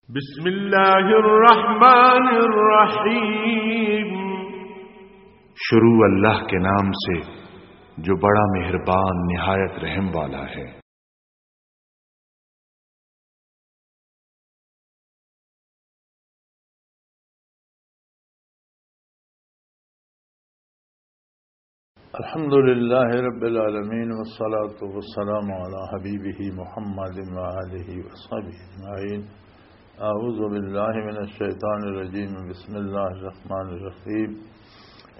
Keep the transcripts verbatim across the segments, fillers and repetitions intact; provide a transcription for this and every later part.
بسم اللہ الرحمن الرحیم۔ شروع اللہ کے نام سے جو بڑا مہربان نہایت رحم والا ہے۔ الحمد لله رب العالمين، والصلاة والسلام على حبيبه محمد وآله وصحبه أجمعين. أعوذ بالله من الشيطان الرجيم. بسم الله الرحمن الرحيم.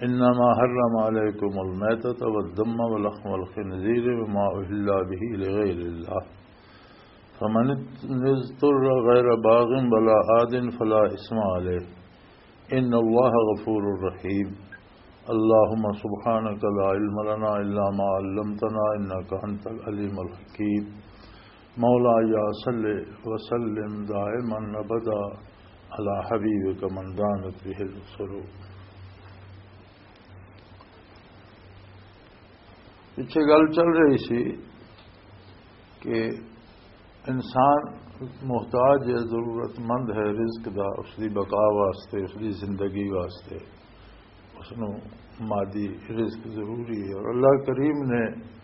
إنما حرم عليكم الميتة والدم ولحم الخنزير وما أهل به لغير الله، فمن اضطر غير باغ ولا عاد فلا إثم عليه، إن الله غفور رحيم. اللهم سبحانك لا علم لنا إلا ما علمتنا إنك أنت العليم الحكيم. مولاي صل وسلم دائما أبدا على حبيبك من دانت به السرور. پچھے گل چل رہی سی کہ انسان محتاج ہے، ضرورت مند ہے رزق دا، اس دی بقا واسطے، اس دی زندگی واسطے، اس نو مادی رزق ضروری ہے۔ اور اللہ کریم نے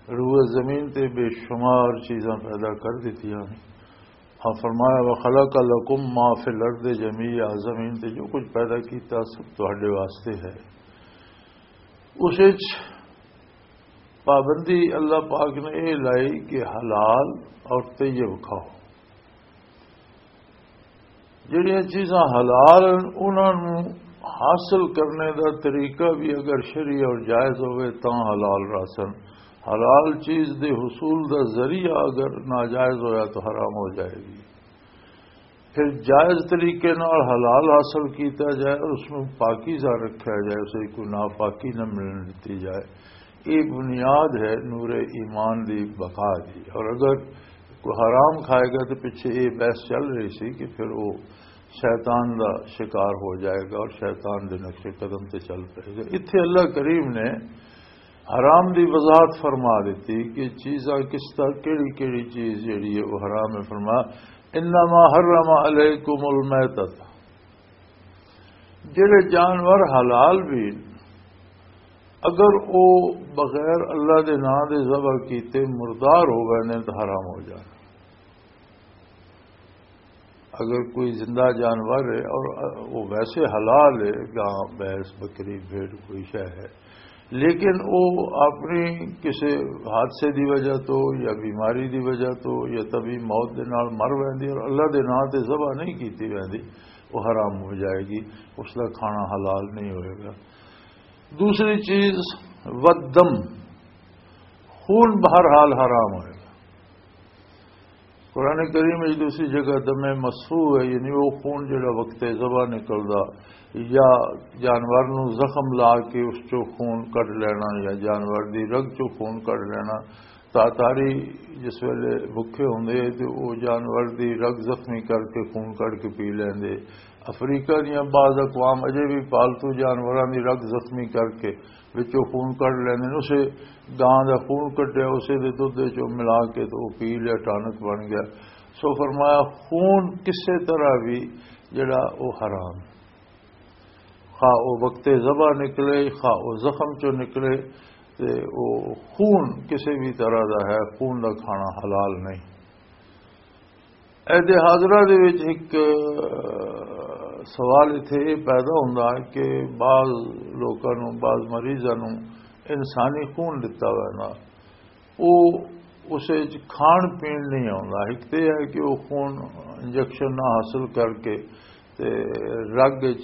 روئے زمین تے بے شمار چیزاں پیدا کر دتیاں۔ اور فرمایا، "وخلق لکم ما فی الارض جمیعا"، زمین تے جو کچھ پیدا کیتا سب تہاڈے واسطے ہے۔ اس وچ پابندی اللہ پاک نے یہ لائی کہ حلال اور طیب کھاؤ۔ جڑیاں چیزاں حلال ہیں، انہاں نوں حاصل کرنے دا طریقہ بھی اگر شرعی اور جائز ہوئے تاں حلال راسن، حلال چیز دے حصول دا ذریعہ اگر ناجائز ہویا تو حرام ہو جائے گی۔ پھر جائز طریقے نال حلال حاصل کیتا جائے اور اس میں پاکیزہ رکھا جائے، اسے کوئی ناپاکی نہ ملن دتی جائے۔ یہ بنیاد ہے نور ایمان دی بقا دی۔ اور اگر کوئی حرام کھائے گا تو پچھے یہ بحث چل رہی سی کہ پھر وہ شیطان دا شکار ہو جائے گا اور شیطان دے نقش قدم تے چل پائے گا۔ اتھے اللہ کریم نے حرام دی وضاحت فرما دیتی کہ چیزاں کس طرح، کیڑی کیڑی چیز جڑی ہے وہ حرام ہے۔ فرما، "انما حرم علیکم المیتۃ"، جڑے جانور حلال بھی اگر او بغیر اللہ دے نام دے ذبح کیتے مردار ہو گئے نے تو حرام ہو جانا۔ اگر کوئی زندہ جانور ہے اور وہ ویسے حلال ہے، گاں، بھینس، بکری، بھیڑ، کوئی شے ہے، لیکن وہ اپنی کسی حادثے دی وجہ تو یا بیماری دی وجہ تو یا طبی موت دے نال مر ویندی اور اللہ دے نام تے ذبح نہیں کیتی ویندی، وہ حرام ہو جائے گی، اس دا کھانا حلال نہیں ہوئے گا۔ دوسری چیز، والدم، خون بہرحال حرام ہوئے گا۔ قرآن کریم وچ دوسری جگہ دم مسفوح ہے، یعنی وہ خون جڑا وقت ذبح نکلدا یا جانور نو زخم لا کے اس چوں خون کڈ لینا یا جانور دی رگ چوں خون کڈ لینا۔ تاتاری جس ویلے بھکھے ہوندے تے او جانور دی رگ زخمی کر کے، خون کڈ کے پی لیندے۔ افریقہ دیاں بعض اقوام اجے بھی پالتو جانوراں دی رگ زخمی کر کے وچوں خون کڈ لیندے نے۔ اسے گاں دا خون کڈیا، اسے دے دودھ دے چوں ملا کے تے او پی لیا، ٹانک بن گیا۔ سو فرمایا، خون کسے طرح بھی جڑا او حرام، خواہ او وقت ذبح نکلے، خواہ او زخم چوں نکلے، تے او خون کسے بھی طرح دا ہے، خون دا کھانا حلال نہیں۔ عہد حاضرہ دے وچ ایک، آ، سوال اتھے یہ پیدا ہوندا ہے کہ بعض لوکاں نوں، بعض مریضاں نوں انسانی خون دتا ویندا، او اسے وچ کھان پین نہیں آوندا۔ ایک تے ہے کہ وہ خون انجیکشن نہ حاصل کر کے تے رگ وچ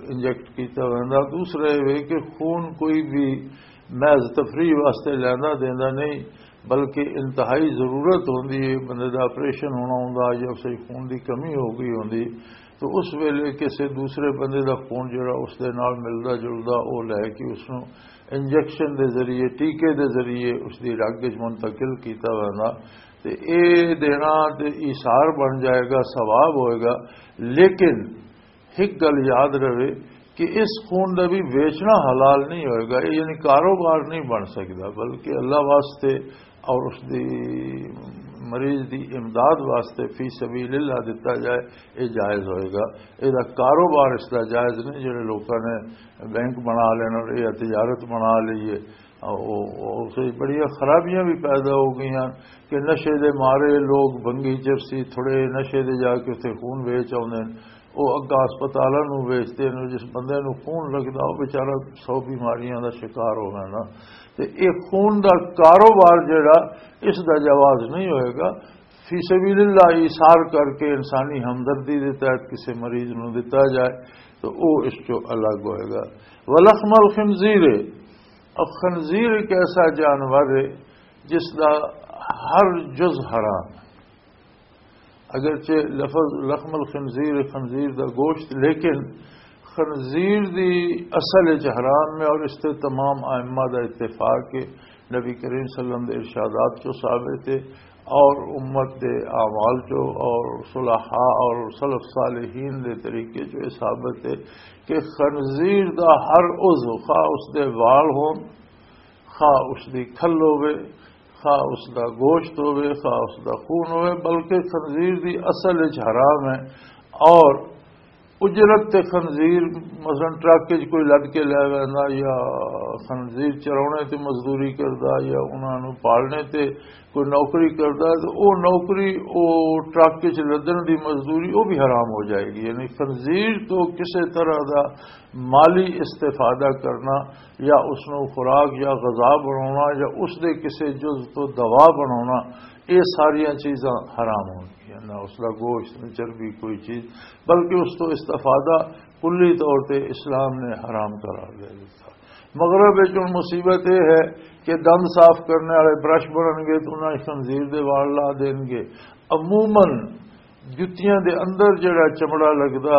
انجیکٹ کیتا ویندا۔ دوسرا یہ وے کہ خون کوئی بھی محض تفریح واسطے لیندا دیندا نہیں، بلکہ انتہائی ضرورت ہوندی ہے، بندے دا آپریشن ہونا ہوندا یا اسے خون دی کمی ہو گئی ہوندی، تو اس ویلے کسے دوسرے بندے دا خون جڑا اس دے نال ملدا جلدا، او لے کے اس نوں انجیکشن دے ذریعے، ٹیکے دے ذریعے اس دی رگ وچ منتقل کیتا ویندا۔ تے اے دینا تے ایثار بن جائے گا، ثواب ہوئے گا۔ لیکن ایک گل یاد رہے کہ اس خون دا بھی ویچنا حلال نہیں ہوئے گا، یعنی کاروبار نہیں بن سکدا، بلکہ اللہ واسطے اور اس دی مریض دی امداد واسطے فی سبیل اللہ دتا جائے، یہ جائز ہوئے گا۔ یہ کاروبار اس دا جائز نہیں، جڑے لوکاں نے بینک بنا لینا اور یہ تجارت بنا لیے۔ او، او، اس وچ بڑیاں خرابیاں بھی پیدا ہو گئیاں کہ نشے دے مارے لوگ بنگی چرسی تھوڑے نشے دے جا کے اتنے خون ویچ آتے ہیں، وہ اگا ہسپتالاں نوں ویچتے ہیں۔ جس بندے نوں خون لگدا، وہ بیچارہ سو بیماریاں دا شکار ہو گیا نا۔ تے یہ خون دا کاروبار جڑا، اس دا جواز نہیں ہوئے گا۔ فی سبیل اللہ ایثار کر کے انسانی ہمدردی دے تحت کسی مریض نوں دتا جائے تو وہ اس چوں الگ ہوئے گا۔ ولحم الخنزیر، اب خنزیر ایک ایسا جانور ہے جس دا ہر جز حرام ہے۔ اگرچہ لفظ لحم الخنزیر، خنزیر دا گوشت، لیکن خنزیر دی اصل وچ حرام ہے اور اس تے تمام ائمہ دا اتفاق ہے۔ نبی کریم صلی اللہ علیہ وسلم دے ارشادات چوں ثابت ہے اور امت دے اعمال چوں اور صلحاء اور سلف صالحین دے طریقے چوں یہ ثابت ہے کہ خنزیر دا ہر عضو، خواہ اس دے وال ہون، خواہ اس دی کھل ہوے، خواہ اس دا گوشت ہوے، خواہ اس دا خون ہوے، بلکہ خنزیر دی اصل وچ حرام ہے۔ اور اجرت تے خنزیر، مثلاً ٹرک وچ کوئی لد کے لے ویندا یا خنزیر چراونے تے مزدوری کردا یا انہاں نوں پالنے تے کوئی نوکری کردا ہے، تو او نوکری، او ٹرک وچ لدن دی مزدوری، او بھی حرام ہو جائے گی۔ یعنی خنزیر تو کسے طرح دا مالی استفادہ کرنا یا اس نوں خوراک یا غذا بناونا یا اس دے کسے جز تو دوا بناونا، یہ ساریاں چیزاں حرام ہونگیاں۔ نہ اس دا گوشت، نہ چربی، کوئی چیز، بلکہ اس تو استفادہ کلی طور تے اسلام نے حرام قرار دے دتا۔ مغرب وچ ہن مصیبت یہ ہے کہ دند صاف کرنے والے برش بنن گے تو انہاں خنزیر دے وال لا دین گے۔ عموماً جتیاں دے اندر جڑا چمڑا لگدا،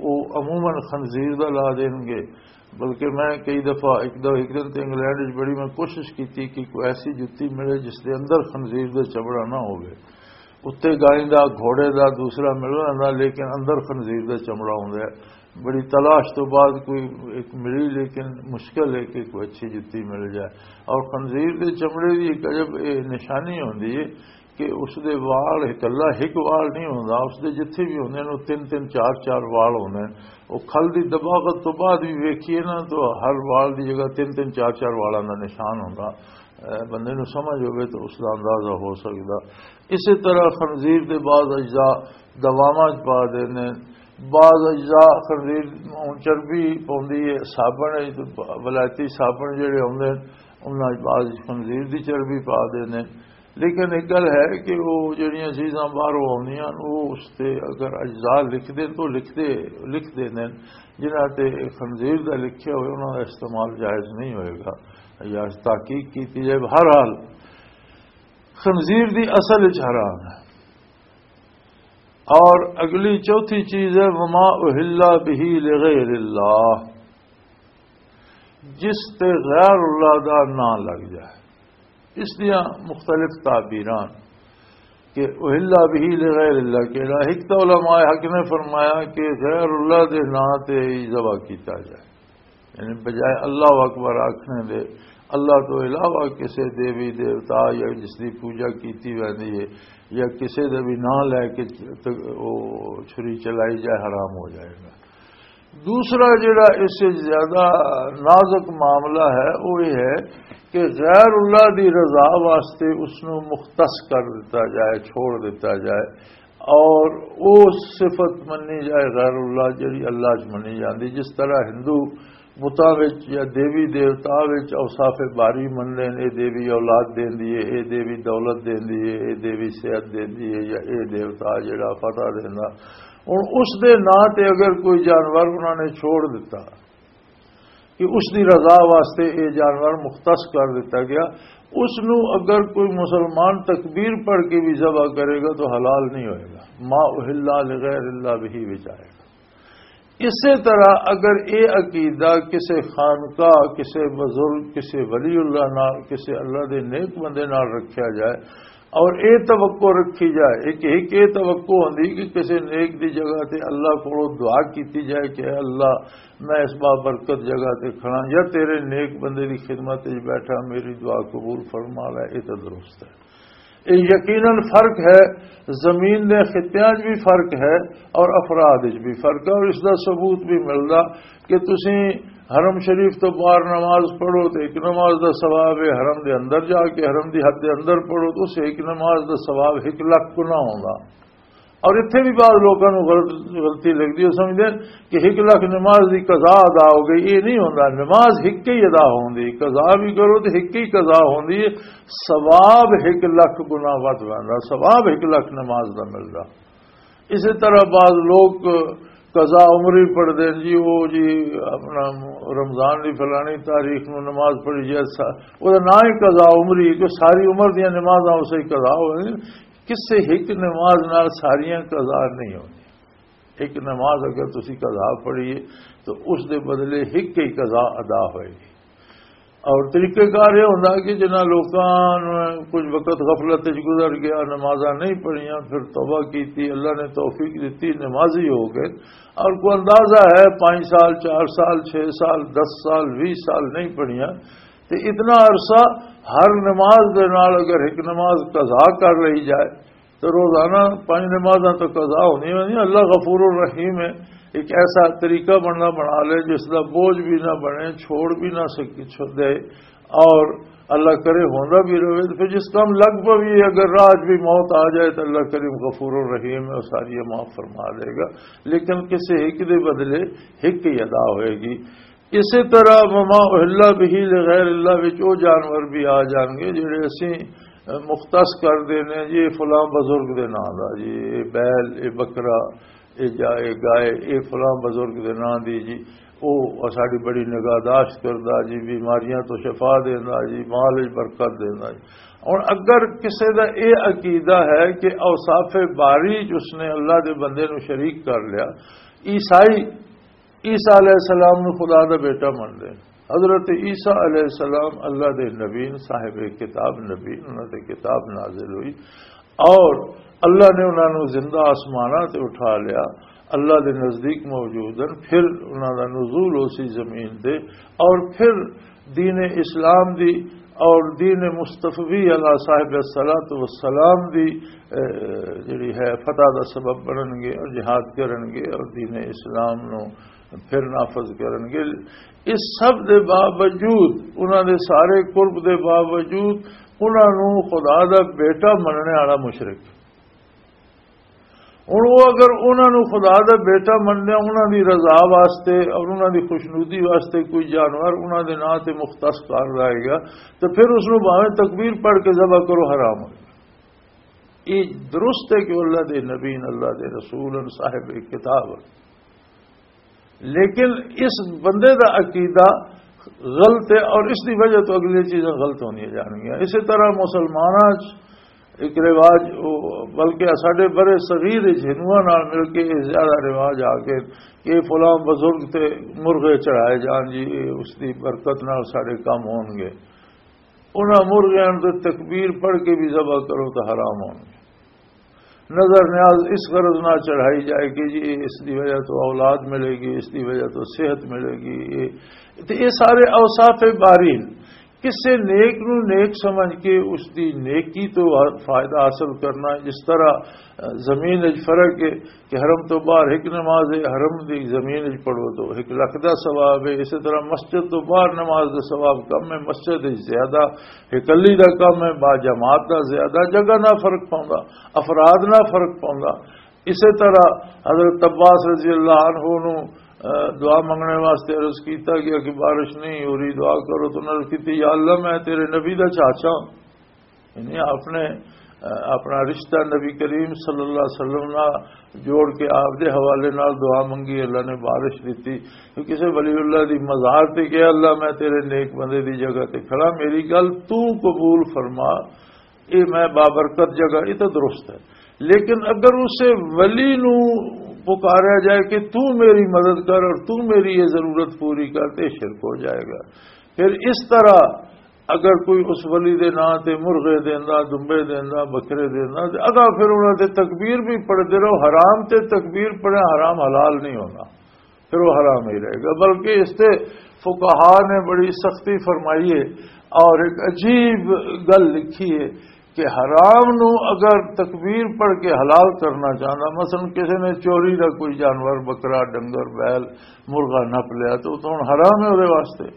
او عموماً خنزیر دا لا دین گے۔ بلکہ میں کئی دفعہ ایک دو، ایک دن تے انگلینڈ وچ بڑی میں کوشش کیتی کہ کوئی ایسی جتی ملے جس دے اندر خنزیر دا چمڑا نہ ہوے۔ اتنے گائیں دا، گھوڑے دا، دوسرا مل رہا، لیکن اندر خنزیر دا چمڑا ہوندا ہے۔ بڑی تلاش تو بعد کوئی ایک ملی، لیکن مشکل ہے کہ کوئی اچھی جتی مل جائے۔ اور خنزیر دے چمڑے دی ایک عجب، اے، نشانی ہوندی ہے کہ اس دے وال اکلا ایک وال نہیں ہوندا، اس دے جتھے بھی ہوندے نے، وہ تین تین، چار چار وال ہوندے نے۔ وہ کھل دی دباغت تو بعد بھی ویکھیے نا، تو ہر وال دی جگہ تین تین، چار چار والاں دا نشان ہوندا۔ اے، بندے نوں سمجھ ہوے تو اس دا اندازہ ہو سکدا۔ اسی طرح خنزیر دے بعض اجزاء دواواں چ پا دیندے نے، بعض اجزاء خنزیر، ہن چربی پوندی ہے، صابن ہے، ولایتی صابن جڑے ہوندے نے، انہاں چ بعض خنزیر دی چربی پا دیندے نے۔ لیکن ایک گل ہے کہ وہ جڑیاں چیزاں باہروں آؤندیاں نے، وہ اس تے اگر اجزاء لکھ دین تو لکھ دے، لکھ دیندے نے، جنہاں تے خنزیر دا لکھیا ہوئے، انہاں دا استعمال جائز نہیں ہوئے گا۔ یا تحقیق کیتی جائے۔ بہرحال، خنزیر دی اصل وچ حرام ہے۔ اور اگلی چوتھی چیز ہے، وما اہل بہ لغیر اللہ، جس تے غیر اللہ دا نام لگ جائے۔ اس دیاں مختلف تعبیران کہ اہل بہ لغیر اللہ کہڑا، ایک تو علماء حق نے فرمایا کہ غیر اللہ دے نام تے ہی ذبح کیتا جائے، یعنی بجائے اللہ اکبر آکھنے دے، اللہ تو علاوہ کسے دیوی دیوتا یا جس دی پوجا کیتی ویندی ہے یا کسے دے بھی نام لے کے ت-، او چھری چلائی جائے، حرام ہو جائے گا۔ دوسرا جڑا اس سے زیادہ نازک معاملہ ہے، وہ یہ ہے کہ غیر اللہ دی رضا واسطے اس نو مختص کر دیتا جائے، چھوڑ دیتا جائے، اور وہ صفت منی جائے غیر اللہ، جڑی اللہ چ منی جاندی۔ جس طرح ہندو بتاں وچ یا دیوی دیوتا وچ اوصاف باری مننے نے، اے دیوی اولاد دیندی ہے، اے دیوی دولت دیندی ہے، اے دیوی صحت دیندی ہے، یا اے دیوتا جڑا فتح دیندا۔ ہن اس دے ناں تے اگر کوئی جانور انہاں نے چھوڑ دتا کہ اس دی رضا واسطے اے جانور مختص کر دتا گیا، اس نو اگر کوئی مسلمان تکبیر پڑھ کے بھی ذبح کرے گا تو حلال نہیں ہوئے گا، ما اہل لغیر اللہ بہ وچ آئے گا۔ اسی طرح اگر یہ عقیدہ کسی خانقاہ، کسی بزرگ، کسی ولی اللہ نال، کسی اللہ دے نیک بندے نال رکھیا جائے اور یہ توقع رکھی جائے، ایک ایک یہ توقع ہوندی کہ کسی نیک دی جگہ تے اللہ کولوں دعا کیتی جائے کہ اے اللہ، میں اس بابرکت جگہ تے کھڑا یا تیرے نیک بندے دی خدمت وچ بیٹھا، میری دعا قبول فرما لے، یہ تو درست ہے۔ یہ یقیناً فرق ہے، زمین دے خطیاں 'چ بھی فرق ہے اور افراد 'چ بھی فرق ہے، اور اس دا ثبوت بھی ملدا کہ تسی حرم شریف تو باہر نماز پڑھو تو ایک نماز دا ثواب ہے، حرم دے اندر جا کے حرم دی حد دے اندر پڑھو تو اسے ایک نماز دا ثواب ایک لکھ گنا ہوندا۔ اور اتھے بھی بعض لوگوں کو غلط، غلطی لگدی، وہ سمجھدے کہ ایک لکھ نماز دی قضا ادا ہو گئی۔ یہ نہیں ہوندا، نماز ایک ہی ادا ہوندی، قضا بھی کرو تو ایک ہی قضا ہوندی ہے، ثواب ایک لکھ گنا ود ویندا، ثواب ایک لکھ نماز دا ملدا۔ اسی طرح بعض لوگ قضا عمری پڑھدے ہیں جی، وہ جی اپنا رمضان دی فلانی تاریخ نو نماز پڑھی جائے، سا-، وہ نہ ہی قضا عمری، جو ساری عمر دیاں نمازاں اسے ہی قضا ہوئے۔ کسے ایک نماز نال ساریاں قضا نہیں ہوندی۔ ایک نماز اگر تسی قضا پڑھیے تو اس دے بدلے ایک ہی قضا ادا ہوئے گی۔ اور طریقہ کار یہ ہوندا کہ جنہاں لوکاں نوں کچھ وقت غفلت وچ گزر گیا، نمازاں نہیں پڑھیاں، پھر توبہ کیتی، اللہ نے توفیق دتی، نمازی ہو گئے، اور کوئی اندازہ ہے پانچ سال، چار سال، چھ سال، دس سال، بیس سال نہیں پڑھیاں، تو اتنا عرصہ ہر نماز دے نال اگر ایک نماز قضا کر لئی جائے، تو روزانہ پانچ نمازاں تو قضا ہونی ہونی۔ اللہ غفور الرحیم ہے، ایک ایسا طریقہ بننا بنا لے جس دا بوجھ بھی نہ بنے، چھوڑ بھی نہ سک-، چھو-، دے، اور اللہ کرے ہوندا بھی رہے۔ تو پھر جس کام لگ پوی، اگر راہ 'چ بھی موت آ جائے تو اللہ کریم غفور الرحیم ہے، وہ ساری معاف فرما دے گا، لیکن کسی ایک دے بدلے ایک ہی ادا ہوئے گی۔ اسی طرح وما اہل بہ لغیر اللہ وچ او جانور بھی آ جان گے جڑے اسی، اہ، مختص کر دینے، یہ فلاں بزرگ دے نام دا جی، یہ بیل، یہ بکرا، یہ جا-، یہ گائے، یہ فلاں بزرگ دے نام دی جی، او ساڈی بڑی نگہداشت کردا جی، بیماریاں تو شفا دیندا جی، مال وچ برکت دیندا جی۔ ہن اگر کسے دا یہ عقیدہ ہے کہ اوصاف باری 'چ اس نے اللہ دے بندے نو شریک کر لیا، عیسائی عیسیٰ علیہ السلام نو خدا دا بیٹا منتے ہیں۔ حضرت عیسیٰ علیہ السلام اللہ دے نبی نے، صاحب کتاب نبی، انہاں تے کتاب نازل ہوئی، اور اللہ نے انہاں نو زندہ آسماناں تے اٹھا لیا، اللہ دے نزدیک موجود ہیں۔ پھر انہاں دا نزول ہو سی زمین تے، اور پھر دین اسلام دی اور دین مصطفی علیہ صاحب الصلوۃ والسلام دی، اے، جڑی ہے، فتح دا سبب بنن گے اور جہاد کرن گے اور دین اسلام نو پھر نافذ کرن گے۔ اس سب دے باوجود، انہاں دے سارے قرب دے باوجود، انہاں نو خدا دا بیٹا مننے والا مشرک، ہن وہ اگر انہاں نو خدا دا بیٹا مننے، انہاں دی رضا واسطے اور انہاں دی خوشنودی واسطے کوئی جانور انہاں دے ناں تے مختص کر لائے گا، تو پھر اس نو بھاویں تکبیر پڑھ کے ذبح کرو، حرام ہو۔ یہ درست ہے کہ اللہ دے نبی نے، اللہ دے رسول ہیں، صاحب کتاب ہیں، لیکن اس بندے دا عقیدہ غلط ہے اور اس دی وجہ تو اگلی چیزاں غلط ہونی جان گیا۔ اسی طرح مسلماناں چ ایک رواج، بلکہ ساڈے برے صغیر وچ ہندوؤں نال مل کے یہ زیادہ رواج آ گئے کہ فلاں بزرگ تے مرغے چڑھائے جان جی، یہ اس دی برکت نال ساڈے کم ہون گے۔ انہاں مرغیاں تے تکبیر پڑھ کے بھی ذبح کرو تو حرام ہون گے۔ نظر نیاز اس غرض نہ چڑھائی جائے کہ جی اس دی وجہ تو اولاد ملے گی، اس دی وجہ تو صحت ملے گی۔ یہ، تے یہ سارے اوصاف بارین، کسے نیک نو نیک سمجھ کے اس دی نیکی تو فائدہ حاصل کرنا۔ جس طرح زمین وچ فرق ہے کہ حرم تو باہر ایک نماز ہے، حرم دی زمین وچ پڑھو تو ایک لکھ دا ثواب ہے۔ اسی طرح مسجد تو باہر نماز دا ثواب کم ہے، مسجد وچ زیادہ، اکلی دا کم ہے، با جماعت دا زیادہ۔ جگہ نہ فرق پوندا، افراد نہ فرق پوندا۔ اسی طرح حضرت عباس رضی اللہ عنہ نو، اہ، دعا منگنے واسطے عرض کیتا گیا کہ بارش نہیں ہو رہی، دعا کرو۔ تو انہوں نے کیتی، یا اللہ، میں تیرے نبی دا چاچا ہوں، یعنی اپنے، اہ، اپنا رشتہ نبی کریم صلی اللہ علیہ وسلم نال جوڑ کے آپ دے حوالے نال دعا منگی، اللہ نے بارش دیتی۔ تو کسی ولی اللہ دی مزار تے کہیا، اللہ، میں تیرے نیک بندے دی جگہ تے کھڑا، میری گل تو قبول فرما، یہ میں بابرکت جگہ، یہ تو درست ہے۔ لیکن اگر اسے ولی نو پکارا جائے کہ تو میری مدد کر اور تو میری یہ ضرورت پوری کر، تے شرک ہو جائے گا۔ پھر اس طرح اگر کوئی اس ولی دے نام تے مرغے دیندا، دمبے دیندا، بکرے دیندا، تے اگاں پھر انہاں تے تکبیر بھی پڑھدے رہو، حرام تے تکبیر پڑھے، حرام حلال نہیں ہونا، پھر وہ حرام ہی رہے گا۔ بلکہ اس تے فقہا نے بڑی سختی فرمائی ہے اور ایک عجیب گل لکھی ہے کہ حرام نو اگر تکبیر پڑھ کے حلال کرنا چاہتا، مثلاً کسی نے چوری دا کوئی جانور، بکرا، ڈنگر، بیل، مرغا نپ لیا، تو وہ تو ہن حرام ہے وہ واسطے۔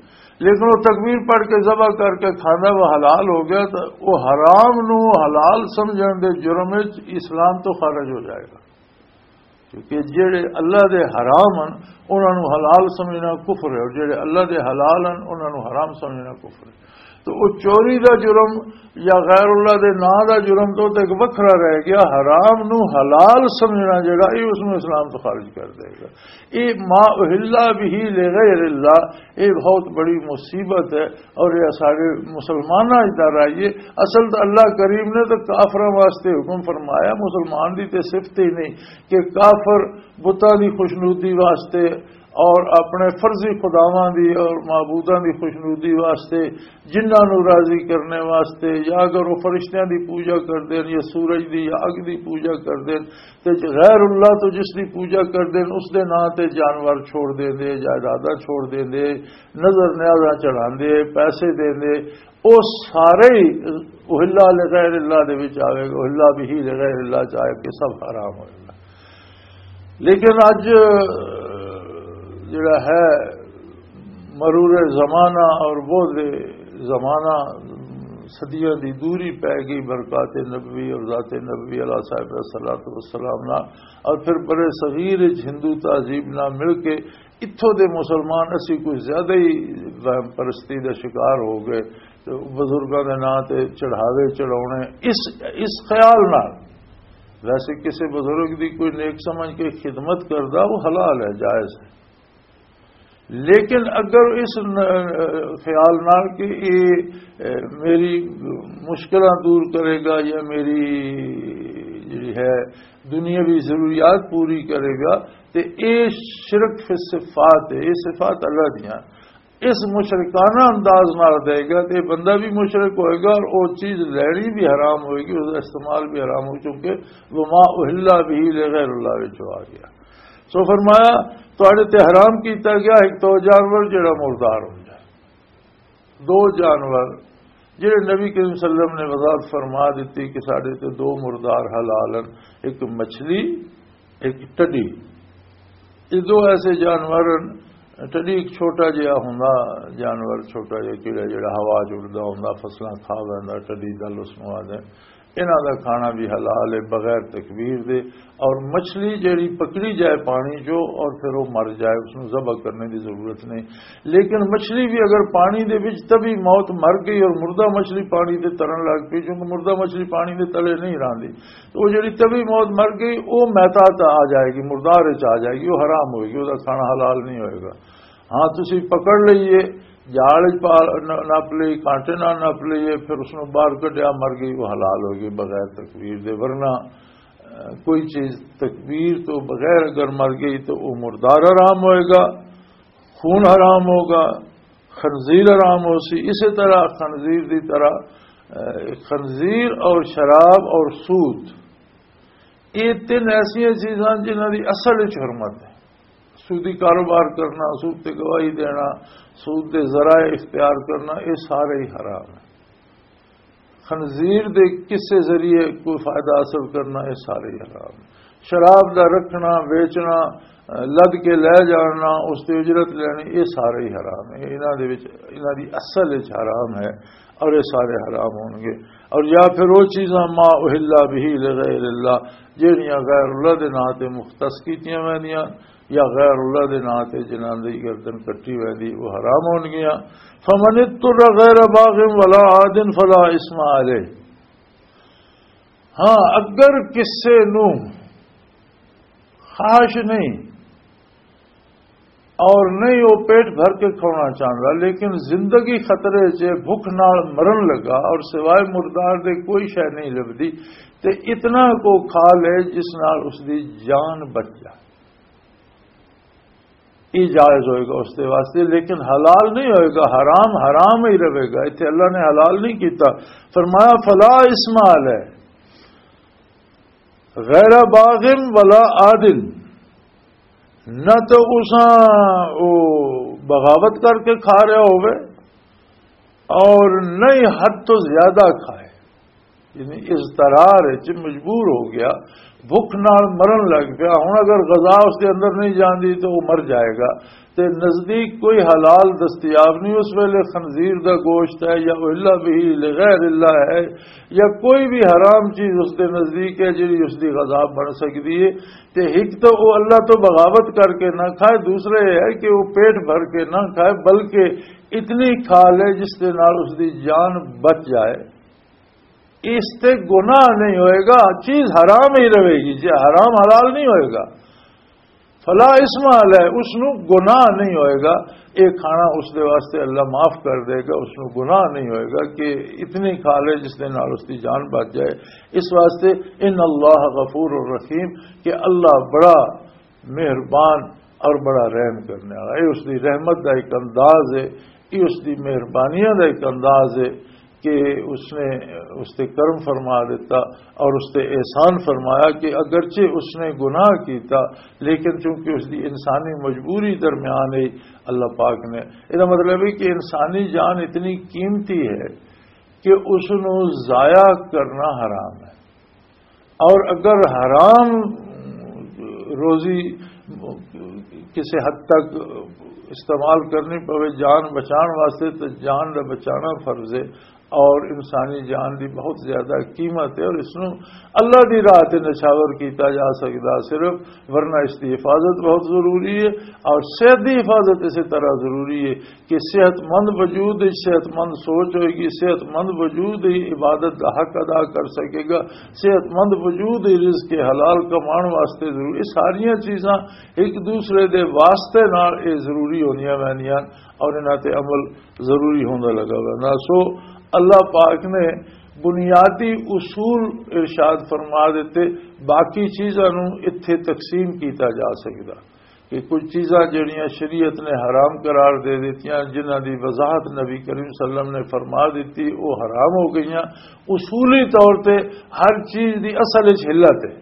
لیکن وہ تکبیر پڑھ کے ذبح کر کے کھانا، وہ حلال ہو گیا، تو وہ حرام نو حلال سمجھن دے جرم وچ اسلام تو خارج ہو جائے گا۔ کیونکہ جڑے اللہ دے حرام ہن، انہاں نوں حلال سمجھنا کفر ہے، اور جڑے اللہ دے حلال ہن، انہاں نوں حرام سمجھنا کفر ہے۔ تو وہ چوری دا جرم یا غیر اللہ دے نام دا جرم تو ایک وکھرا رہ گیا۔ حرام نوں حلال سمجھنا جڑا، یہ اس نوں اسلام تو خارج کر دے گا۔ یہ ما اہلا بہ لغیر اللہ، یہ بہت بڑی مصیبت ہے۔ اور یہ سارے مسلماناں کی طرح یہ اصل تو اللہ کریم نے تو کافراں واسطے حکم فرمایا، مسلمان دی تے صفت ہی نہیں کہ کافر بتاں دی خوشنودی واسطے اور اپنے فرضی خداواں دی اور معبوداں دی خوشنودی واسطے، جنہاں نوں راضی کرنے واسطے، یا اگر وہ فرشتیاں دی پوجا کر دین یا سورج دی یا اگ دی پوجا کر دین، تے غیر اللہ تو جس دی پوجا کر دین، اس دے نام تے جانور چھوڑ دین دے، جائیداداں چھوڑ دین دے، نظر نیازاں چڑھاندے، پیسے دیندے، او سارے ہی اہلا لغیر اللہ دے وچ آوے گا، اہلا بہ لغیر اللہ چ آئے کہ سب حرام ہو جائے۔ لیکن اج جڑا ہے مرور زمانہ اور بوجھ زمانہ، صدیاں دی دوری پی گئی برکات نبوی اور ذات نبوی علیہ صاحب الصلوۃ والسلام نال، اور پھر بڑے صغیر وچ ہندو تہذیب نال مل کے اتھوں دے مسلمان اسی کوئی زیادہ ہی وہم پرستی دا شکار ہو گئے۔ تے بزرگاں دے ناں تے چڑھاوے چڑھاونے اس، اس خیال نال، ویسے کسی بزرگ دی کوئی نیک سمجھ کے خدمت کردا، وہ حلال ہے، جائز ہے۔ لیکن اگر اس ن-، خیال نال کہ یہ، اے، میری مشکلاں دور کرے گا یا میری جڑی ہے دنیاوی ضروریات پوری کرے گا، تے اے شرک فی الصفات ہے، یہ صفات اللہ دیاں۔ اس مشرکانہ انداز نال دے گا تے بندہ بھی مشرک ہوئے گا اور وہ چیز لینی بھی حرام ہوئے گی، اس کا استعمال بھی حرام ہوگا، کیونکہ وما اہلا بہ لغیر اللہ وچ آ گیا۔ سو فرمایا، تواڈے تے حرام کیتا گیا ایک تو جانور جڑا مردار ہو جائے، دو جانور جڑے نبی کریم صلی اللہ علیہ وسلم نے وضاحت فرما دیتی کہ ساڈے تے دو مردار حلال ہیں، ایک مچھلی، ایک ٹڈی۔ یہ دو ایسے جانور ہیں۔ ٹڈی ایک چھوٹا جہا ہوندا جانور، چھوٹا جہا کیڑا جڑا ہوا چ اڑدا ہوندا، فصلاں کھا ویندا، ٹڈی دل اس نوں آدھے۔ انہاں دا کھانا بھی حلال ہے بغیر تکبیر دے۔ اور مچھلی جڑی پکڑی جائے پانی چو اور پھر وہ مر جائے، اس نوں ذبح کرنے دی ضرورت نہیں۔ لیکن مچھلی بھی اگر پانی دے وچ طبی موت مر گئی اور مردہ مچھلی پانی دے ترن لگ پئی، کیونکہ مردہ مچھلی پانی دے تلے نہیں راندی، تو وہ جڑی طبی موت مر گئی، وہ میتا تے آ جائے گی، مردار وچ آ جائے گی، وہ حرام ہوئے گی، وہ کھانا حلال نہیں ہوئے گا۔ ہاں، تسی پکڑ لئیے، جال وچ پا ن-، نپ لئی، کانٹے نال نپ لئیے، پھر اس نوں باہر کڈیا، مر گئی، وہ حلال ہوئے گی بغیر تکبیر دے۔ ورنہ، اہ، کوئی چیز تکبیر تو بغیر اگر مر گئی تو وہ مردار حرام ہوئے گا، خون حرام ہوگا، خنزیر حرام ہو سی۔ اسی طرح خنزیر دی طرح، اہ، خنزیر اور شراب اور سود، یہ تین ایسیاں چیزاں جنہاں دی اصل وچ حرمت ہے۔ سودی کاروبار کرنا، سود تے گواہی دینا، سود دے ذرائع اختیار کرنا، یہ سارے ہی حرام ہیں۔ خنزیر دے کسے ذریعے کوئی فائدہ حاصل کرنا، یہ سارے ہی حرام ہیں۔ شراب دا رکھنا، ویچنا، لد کے لے جانا، اس تے اجرت لینی، یہ سارے ہی حرام ہیں۔ انہاں دے وچ، انہاں دی اصل وچ حرام ہے اور یہ سارے حرام ہون گے۔ اور یا پھر وہ چیزاں ما اہلا بہ لغیر اللہ، جہڑیاں غیر اللہ دے ناں تے مختص کیتیاں ویندیاں، یا غیر اللہ دے ناں تے جنہاں دی گردن کٹی ویندی، وہ حرام ہون گیاں۔ فمن اضطر غیر باغ ولا عاد فلا اثم علیہ۔ ہاں، اگر کسے نو خواہش نہیں اور نہیں وہ پیٹ بھر کے کھانا چاہتا، لیکن زندگی خطرے چ، بھوک نال مرن لگا اور سوائے مردار دے کوئی شے نہیں لبدی، تے اتنا کو کھا لے جس نال اس دی جان بچ جائے۔ یہ جائز ہوئے گا اس کے واسطے، لیکن حلال نہیں ہوئے گا، حرام حرام ہی رہے گا۔ اتنے اللہ نے حلال نہیں کیتا، فرمایا فلا اسم علیہ غیر باغ ولا عادن، نہ تو اساں او بغاوت کر کے کھا رہا ہوئے اور نہ ہی حد تو زیادہ کھائے، یعنی اضطرار وچ مجبور ہو گیا، بھوک نال مرن لگ پیا۔ ہن اگر غذا اس دے اندر نہیں جاندی تو وہ مر جائے گا۔ تے نزدیک کوئی حلال دستیاب نہیں، اس ویلے خنزیر دا گوشت ہے یا الا بھی لغیر اللہ ہے یا کوئی بھی حرام چیز اس دے نزدیک ہے جڑی اس دی غذا بن سکدی ہے۔ تے ایک تو وہ اللہ تو بغاوت کر کے نہ کھائے، دوسرے یہ ہے کہ وہ پیٹ بھر کے نہ کھائے، بلکہ اتنی کھا لے جس دے نال اس دی جان بچ جائے۔ اس تے گناہ نہیں ہوئے گا، چیز حرام ہی رہے گی، جی حرام حلال نہیں ہوئے گا۔ فلا اسم علیہ، اس نو گناہ نہیں ہوئے گا۔ یہ کھانا اس دے واسطے اللہ معاف کر دے گا، اس نو گناہ نہیں ہوئے گا کہ اتنی کھا لے جس دے نال اس دی جان بچ جائے۔ اس واسطے ان اللہ غفور الرحیم، کہ اللہ بڑا مہربان اور بڑا رحم کرنے والا۔ یہ اس دی رحمت دا ایک انداز ہے، یہ اس دی مہربانیاں دا ایک انداز ہے کہ اس نے اس تے کرم فرما دیتا اور اس تے احسان فرمایا کہ اگرچہ اس نے گناہ کیتا، لیکن چونکہ اس دی انسانی مجبوری درمیان ہے اللہ پاک نے، یہ مطلب ہے کہ انسانی جان اتنی قیمتی ہے کہ اس نو ضائع کرنا حرام ہے۔ اور اگر حرام روزی کسی حد تک استعمال کرنی پوے جان بچان واسطے، تو جان دا بچانا فرض ہے۔ اور انسانی جان دی بہت زیادہ قیمت ہے اور اس نو اللہ دی راہ تے نچھاور کیتا جا سکدا صرف، ورنہ اس دی حفاظت بہت ضروری ہے۔ اور صحت دی حفاظت اسی طرح ضروری ہے کہ صحت مند وجود ہی صحت مند سوچ ہوئے گی، صحت مند وجود ہی عبادت دا حق ادا کر سکے گا، صحت مند وجود ہی رزق حلال کمان واسطے ضروری۔ یہ ساریاں چیزاں ایک دوسرے دے واسطے نال یہ ضروری ہونیاں ویندیاں اور انہاں تے عمل ضروری ہوندا لگا ویندا۔ سو اللہ پاک نے بنیادی اصول ارشاد فرما دیتے، باقی چیزاں نو اتھے تقسیم کیتا جا سکدا۔ کہ کچھ چیزاں جڑیاں شریعت نے حرام قرار دے دتیاں، جنہاں دی وضاحت نبی کریم صلی اللہ علیہ وسلم نے فرما دتی، وہ حرام ہو گئیاں۔ اصولی طور تے ہر چیز دی اصل وچ حلت ہے،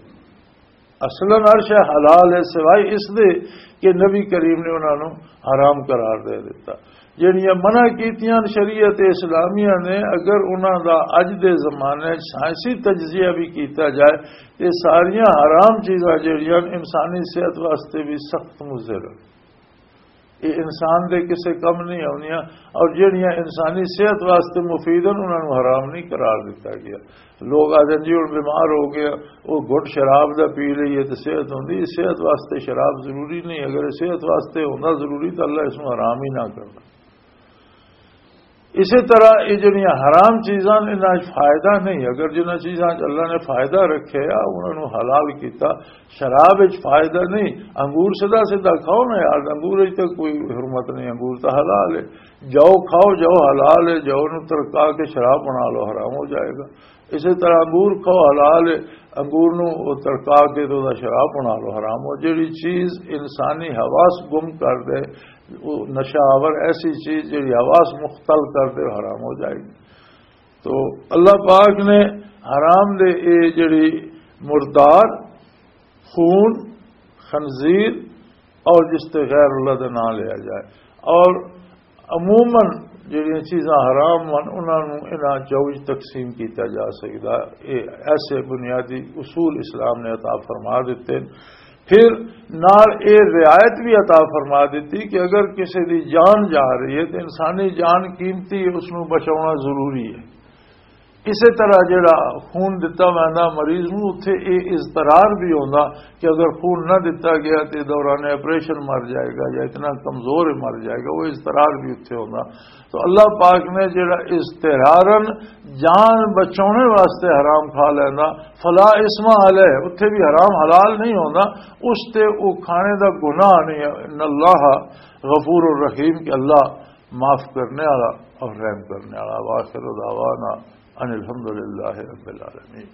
اصلاً ہر شے حلال ہے، سوائے اس دے کہ نبی کریم نے انہاں نوں حرام قرار دے دتا۔ جڑیاں منع کیتیاں شریعت اسلامیہ نے، اگر انہاں دا اج دے زمانے وچ سائنسی تجزیہ بھی کیتا جائے، یہ ساریاں حرام چیزاں جڑیاں انسانی صحت واسطے بھی سخت مضر ہیں۔ یہ انسان دے کسے کم نہیں آونیاں، اور جڑیاں انسانی صحت واسطے مفید ہیں، انہاں نوں حرام نہیں قرار دتا گیا۔ لوگ آدھے جی ہن بیمار ہو گیا، وہ گھٹ شراب دا پی لئیے تو صحت ہوندی۔ صحت واسطے شراب ضروری نہیں، اگر صحت واسطے ہوندا ضروری تو اللہ اس نوں حرام ہی نہ کرنا۔ اسی طرح یہ جڑیاں حرام چیزاں نے، انہاں وچ فائدہ نہیں۔ اگر جنہاں چیزاں وچ اللہ نے فائدہ رکھے آ، انہاں نوں حلال کیتا، شراب وچ فائدہ نہیں۔ انگور سیدھا سیدھا کھاؤ نا یار، انگور وچ تے کوئی حرمت نہیں، انگور تو حلال ہے۔ جو کھاؤ، جو حلال ہے، جو نوں ترکا کے شراب بنا لو، حرام ہو جائے گا۔ اسی طرح انگور کھاؤ، حلال ہے، انگور نوں وہ ترکا کے تو دا شراب بنا لو، حرام ہو۔ جڑی چیز انسانی حواس گم کر دے، وہ نشہ آور ایسی چیز جڑی حواس مختل کر دے، حرام ہو جائے گی۔ تو اللہ پاک نے حرام دے اے جڑی مردار، خون، خنزیر اور جس تے غیر اللہ دا نام لیا جائے، اور عموماً جڑیاں چیزاں حرام ہن، انہاں نوں انہاں چوج تقسیم کیتا جا سکدا۔ اے ایسے بنیادی اصول اسلام نے عطا فرما دتے۔ پھر نال اے رعایت بھی عطا فرما دتی کہ اگر کسی دی جان جا رہی ہے تو انسانی جان قیمتی ہے، اس نوں بچاؤنا ضروری ہے۔ اسی طرح جڑا خون دتا ویندا مریض نوں، اتھے اے اضطرار بھی ہوندا کہ اگر خون نہ دتا گیا تو دوران آپریشن مر جائے گا یا اتنا کمزور ہے مر جائے گا، وہ اضطرار بھی اتھے ہوندا۔ تو اللہ پاک نے جڑا اضطرارن جان بچاؤنے واسطے حرام کھا لینا، فلا اسم علیہ، اتھے بھی حرام حلال نہیں ہوندا، اس تے وہ کھانے دا گناہ نہیں ہے۔ ان اللہ غفور الرحیم، کہ اللہ معاف کرنے والا اور رحم کرنے والا۔ واخر دعوانا ان الحمدللہ رب العالمین۔